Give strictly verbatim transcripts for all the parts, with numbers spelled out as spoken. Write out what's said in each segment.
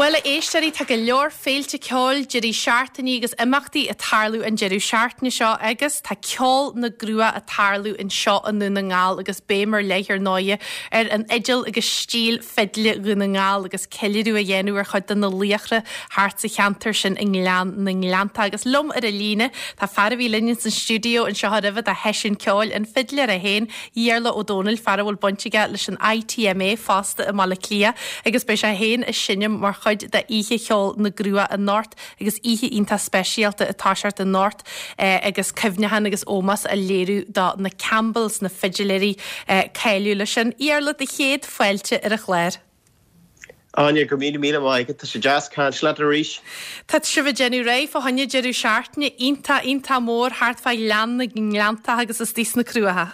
Bhuel a éisteoirí tá go leor féilte ceoil deirí seachtaine agus imeachtaí ag tarlú an deireadh seachtaine seo agus tá ceol na gCruach ag tarlú anseo i nDún na nGall agus béim ar leith ar ndóigh ar an fhidil agus stíl fidle Dhún na nGall agus ceiliúradh a dhéanamh ar chuid de na laochra thart sa cheantar sin i nGleann na nGleannta agus liom ar an líne tá fear a bhí linn san stiúideo anseo roimhe do sheisiún ceoil an fidléir é féin Iarla Ó Dónaill fear a bhfuil baint aige leis an ITMA fosta i mBaile Átha Cliath agus beidh sé féin ag seinm mar chuid de Oíche Cheoil na gCruach anocht agus oíche iontach speisialta atá seart anocht eh, agus cuimhneachán agus ómós á léiriú do na Campbells na fidiléirí eh, cáiliúla sin. Iarla do chéad fáilte ar an chlár. Áine go míle míle maith tá sé deas caint leat arís. Tá sibh ag déanamh réidh fá choinne deireadh seachtaine iontach iontach mór thart fá Ghleann na nGleannta agus istigh sna Cruacha.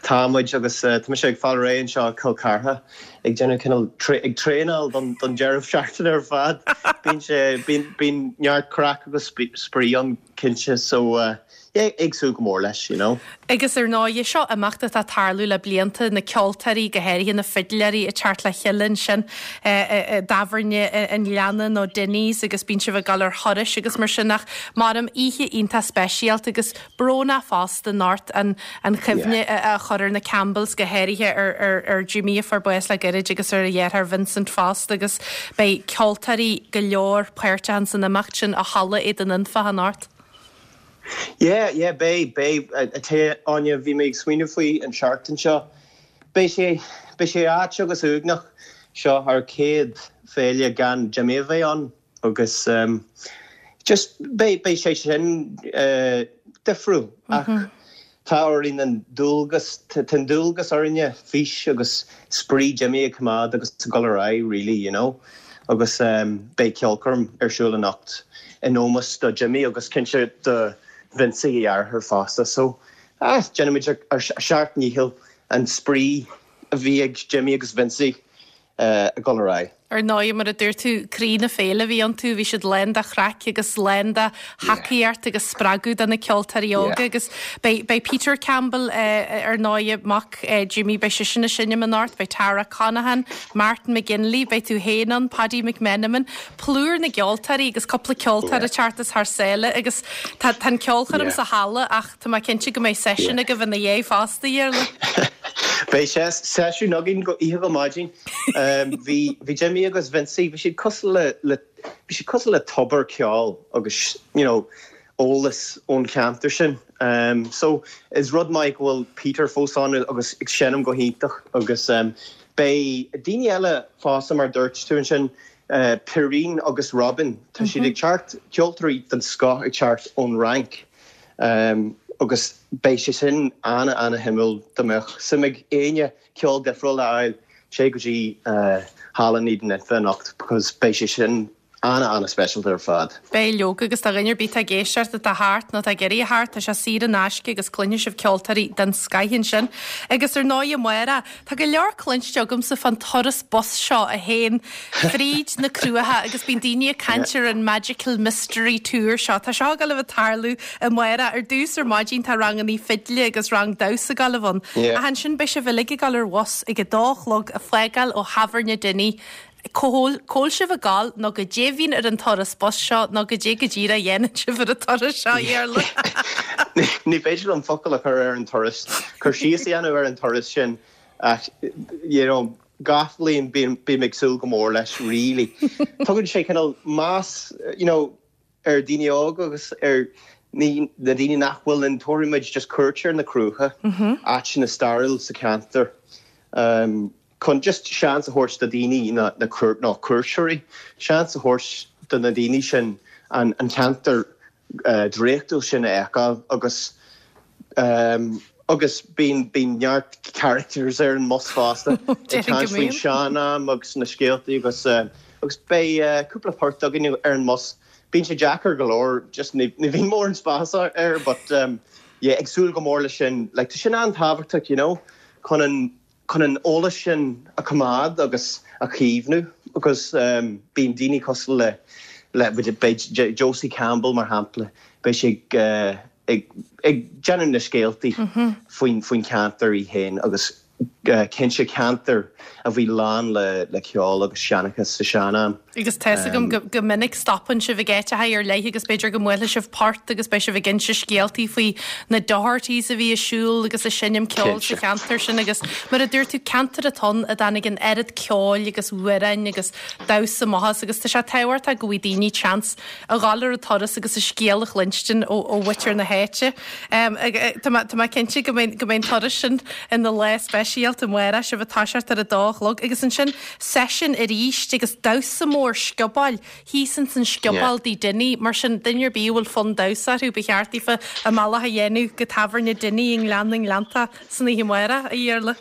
Tá muid agus uh, tá ag fáil réidh anseo Cill Chartha ag déanamh cineál ag traenáil don don deireadh seachtaine ar fad. Bíonn sé bíonn neart craic agus spraoi ann cinnte so uh, yeah, ag súil go mór leis, you know. Agus ar ndóigh seo imeacht atá ag tarlú le blianta na ceoltóirí go háirithe na fidléirí ag teacht le chéile sin i dtábhairne an Ghleanna nó Denny's agus bíonn sibh ag dul ar thurais agus mar sin ach mar am oíche iontach speisialta agus brónach fosta anocht an an chuimhne a chur ar na Campbells go háirithe ar ar ar Jimmy a fuair bás le gairid agus ar a dheartháir Vincent fosta agus beidh ceoltóirí go leor páirteach san imeacht sin i Halla Éadain Infa anocht. Yeah, yeah, beidh beidh a Áine bhí mé ag smaoineamh faoi an seachtain seo. Beidh sé beidh sé ait agus uaigneach seo ár céad féile gan Jimmy a bheith ann agus um, just beidh beidh sé sin uh, difriúil ach mm -hmm. tá orainn an dualgas an dualgas orainne fís agus spraoi Jimmy a choimeád agus dul ar aghaidh really, you know. agus um, beidh ceolchoirm ar siúl anocht in ómós do Jimmy agus cinnte do Vincey a dheartháir fosta so ah, déanaimid ar seacht ndícheall an spraoi a bhí ag Jimmy agus Vincey uh, ag dul ar aghaidh. Ar ndóigh mar a dúirt tú croí na féile bhí iontu bhí siad lán de chraic agus lán de thacaíocht agus spreagadh do na ceoltóirí óga agus beidh Peter Campbell uh, ar ndóigh mac uh, Jimmy beidh sé sin ag seinm anocht, beidh Tara Conahan, Martin McGinley, beidh tú féin ann Paddy McMenamin, plúr na gceoltóirí agus cúpla ceoltóir ag teacht as thar sáile agus tá an ceolchoirm sa halla ach tá mé cinnte go mbeidh seisiún agaibh ina dhiaidh fosta Iarla. Beidh sé seisiún againn go oíche go maidin bhí bhí Jimmy agus Vincey bhí siad cosúil le le bhí siad cosúil le tobar ceoil agus you know eolas ón cheantar sin. Um, so is rud maith go bhfuil Peter fós ann agus ag seinm go hiontach agus um, beidh daoine eile fosta mar dúirt tú sin uh, Perrine agus Robin Tá siad ag teacht ceoltóirí den scoth ag teacht ón Fhrainc. Um, agus beidh sé sin ana ana-shuimiúil dá mbeadh suim ag éinne ceol difriúil a fháil sé go dtí uh, Halla Éadain Infa anocht because beidh sé sin ana ana speisialta ar fad. Beidh leoga agus tá duine ar bith ag éisteacht atá thart nó tá ag iarraidh theacht tá sé saor in aisce agus cluinfidh sibh ceoltóirí den scoth sin. Agus ar ndóigh Máire Tá go leor cluinste agamsa fán turas bus seo a théann fríd na Cruacha agus bíonn daoine ag caint ar an Magical Mystery Tour seo Tá seo ag gabháil a bheith ag tarlú a Mháire ar dtús ar maidin tá ranganna fidle agus rang damhsa ag gabháil a bheith ann. Yeah. A ansin beidh sibh uilig ag dul ar bhus ag a dó a chlog ag fágáil ó thábhairne Dinny Cá bhfuil sibh ag gabháil nó goidé a bhíonn ar an turas bus seo nó goidé go díreach a dhéanann sibh ar an turas seo Iarla. Ní féidir an focal a chur ar an turas chur síos a dhéanamh ar an turas sin ach you know, gach bliain bím ag súil go mór leis really. Tugann sé cineál meas you know, ar daoine óga agus ar ní na daoine nach bhfuil an tómuid just cuairtear na Cruacha áiteanna stairiúil sa cheantar. Um, chun just seans a thabhairt do daoine na na cuairt ná cuairteoirí, seans a thabhairt do na daoine sin an an ceantar uh, draíochtúil sin a fheiceáil agus um, agus bíonn bíonn neart characters ar an mbus fosta faoin sean-am agus na scéaltaí agus uh, agus beidh uh, cúpla port againn ar an mbus. Bíonn sé deacair go leor just ní ní bhíonn mórán spás air, but um, yeah, ag súil go mór leis sin like, tá sin an-tábhachtach you know, chun an chun an eolas sin a choimeád agus a chaomhnú agus um, bíonn daoine cosúil le le beidh Josie Campbell mar shampla beidh sé uh, ag ag déanamh na scéaltaí faoin faoin ceantar í féin agus Cinnte ceantar a bhí lán le le ceol agus seanchas sa sean-am. Agus tá a fhios agam go, go minic stopann sibh ag áiteacha ar leith agus b'fhéidir go mbuailfidh sibh port agus beidh sibh ag inse scéaltaí faoi na Dohertys a bhí ag siúl agus ag seinm ceoil sa cheantar sin agus mar a dúirt tú ceantar atá ann a dtáinig an oiread ceoil agus amhráin agus damhsa amach as agus tá sé tábhachtach go bhfaighidh daoine chance a ghabháil ar an turas agus a scéal a chluinstin ó ó mhuintir na háite. Um, tá mé cinnte go mbeidh go mbeidh an turas sin ina lá speisialta amárach sibh ag toiseacht ar a dó a chlog agus ansin seisiún arís agus damhsa mór sciobóil thíos ins an scioból tigh Dinny mar sin duine ar bith a bhfuil fonn damhsa orthu ba cheart daofa a mbealach a dhéanamh go tábhairne Dinny i nGleann na nGleannta san oíche amárach a Iarla.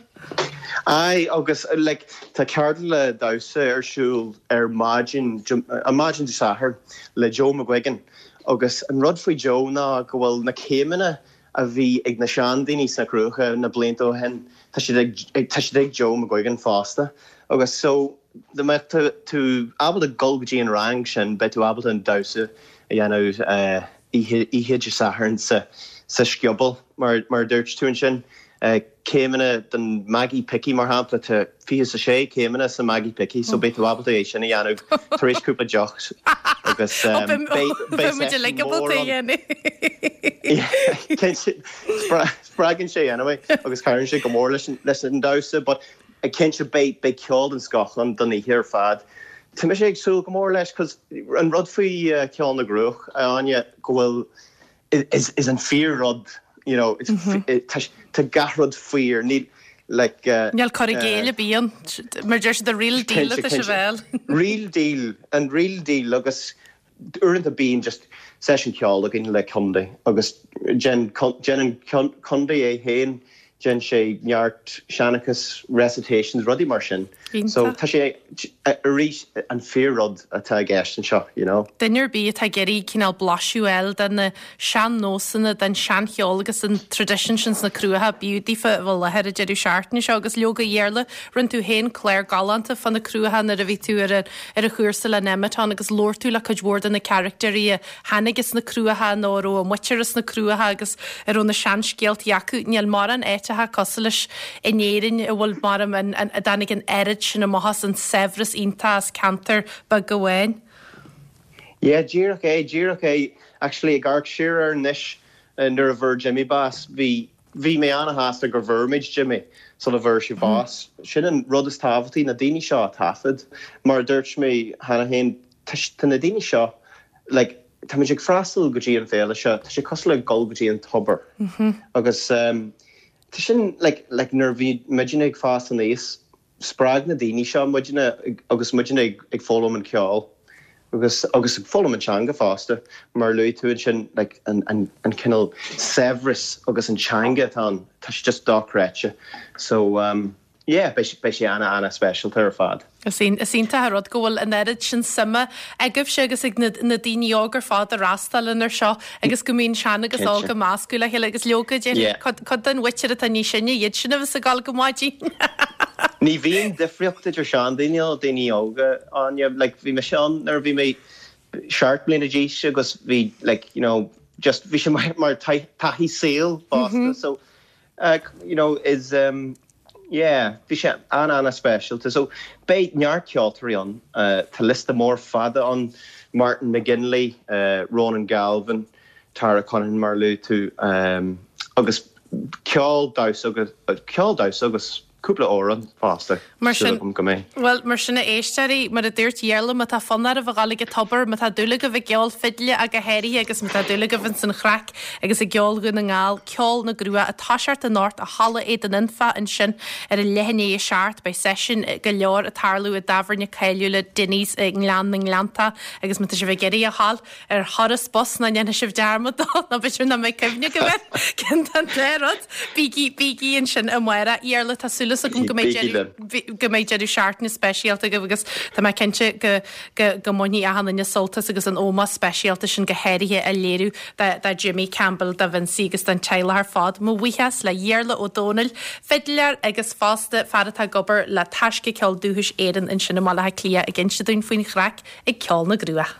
Aye agus like, tá ceardlann damhsa ar siúl ar maidin ar maidin Dé Sathairn le Joe McGuigan agus an rud faoi Joe ná go bhfuil na céimeanna a bhí ag na seandaoine sna Cruacha na blianta ó shin tá siad ag tá siad ag Joe McGuigan fosta agus so dá mbeadh tú tú ábalta dul go dtí an rang sin beidh tú ábalta an damhsa a dhéanamh uh, oíche oíche Dé Sathairn sa sa scioból mar mar dúirt tú ansin. Uh, céimeanna den Maggie Picky mar shampla tá fiche a sé céimeanna sa Maggie Picky, so beidh tú ábalta é sin a dhéanamh tar éis cúpla deoch agus um, mór spreagann sé anyway agus cabhraíonn sé go mór leis leis an damhsa, but a cinnte beidh beidh ceol den scoth ann don oíche ar fad. Tá mé ag súil go mór leis cos an rud faoi uh, Ceol na gCruach Áine go bhfuil is, is an fíor-rud you know it's mm -hmm. tá gach rud fíor ní like uh, Níl cur i gcéill bíonn mar deir the real deal Cinnte, se cinnte. bhil. real deal an real deal agus uaireanta bíonn just session ceol againn le contae agus déanann contae é féin déanann sé neart seanchas recitations rudaí mar sin. So Iontach. tá sé arís an fíor-rud atá i gceist anseo, you know. Duine ar bith atá ag iarraidh cineál blaiseadh a fháil den na sean-nósanna den seancheol agus an tradition sin sna Cruacha b'fhiú daofa a bheith i láthair an deireadh seachtaine seo agus leoga Iarla rinne tú féin clár galánta fá na Cruacha nuair a bhí tú ar ar a chúrsa le Nemeton agus labhair tú le cuid mhór de na caractéirí a tháinig as na Cruacha nó a raibh a muintir as na Cruacha agus a raibh na seanscéaltaí acu níl mórán áiteacha cosúil leis in Éirinn a bhfuil mar an a dtáinig an oiread sin amach as an saibhreas iontach as ceantar beag amháin. Yeah, díreach é díreach é actually ag amharc siar air anois uh, nuair a fuair Jimmy bás bhí bhí mé an-shásta gur bhfuair muid Jimmy sula bhfuair sé bás. Sin an rud is tábhachtaí na daoine seo a taifead mar dúirt mé cheana féin tá na daoine seo like, Tá muid ag freastal go dtí an féile seo, tá sé cosúil le dul go dtí an tobar. Agus um, tá sin like, like, nuair bhí muidne ag fás aníos, spreag na daoine seo muidne agus muidne ag, ag foghlaim an ceol. agus agus ag foghlaim an teanga fosta mar luaigh tú sin like, an, an, an cineál saibhreas agus an teanga atá tá sé just dochreidte so um, yeah beidh beidh sé ana ana speisialta ar fad. Is is iontach an rud go bhfuil an oiread sin suime agaibhse agus ag na, na daoine óg ar fad a fhreastalaíonn air seo agus go mbíonn sean agus Cinnte. óg ag meascadh le chéile agus leoga Yeah. cad den mhuintir atá níos sine iad sin a bheas ag gabháil go maidin. Ní bhíonn difríocht idir seandaoine nó daoine óga Áine like, bhí mé sean nuair bhí mé seacht mbliana d'aois agus bhí like, you know, just bhí sé mar, mar taithí saoil fosta so uh, you know, is um, yeah, bhí sé an ana speisialta so beidh neart ceoltóirí ann uh, tá liosta mór fada ann Martin McGinley, uh, Ronan Galvin, Tara Conan mar luaigh tú um, agus ceol damhsa agus ceol damhsa agus cúpla amhrán fosta Mar sin- agam go mbeidh. Well mar sin a éisteoirí mar a dúirt Iarla má tá fonn oraibh a ghabháil ag an tobar má tá dúil agaibh i gceol fidle agus háirithe agus má tá dúil agaibh san chraic agus i gceol Dhún na nGall Ceol na gCruach ag toiseacht anocht i Halla Éadain Anfa ansin ar a leath i ndiaidh a seacht beidh seisiún go leor ag tarlú i dtábhairne cáiliúil Dinny's i nGleann na nGleannta agus má tá sibh ag iarraidh a ghabháil ar thuras bus ná ndéanfaidh sibh dearmad ná b'fhéidir nach mbeidh cuimhne go bhfuil cén an rud bígí bígí ansin amárach Iarla tá súil agam go mbeidh Bígí deireadh- bhí- go mbeidh deireadh seachtaine speisialta agaibh agus tá mé cinnte go go go mbainfidh achan duine sult as agus an ómós speisialta sin go háirithe a léiriú do Jimmy Campbell do Vincy agus don teaghlach ar fad. Mo bhuíochas le Iarla Ó Dónaill, fidléir agus fosta fear atá ag obair le Taisce Ceol Dúchais Éireann ansin i mBaile Átha Cliath ag inse dúinn faoin chraic ag Ceol na gCruach.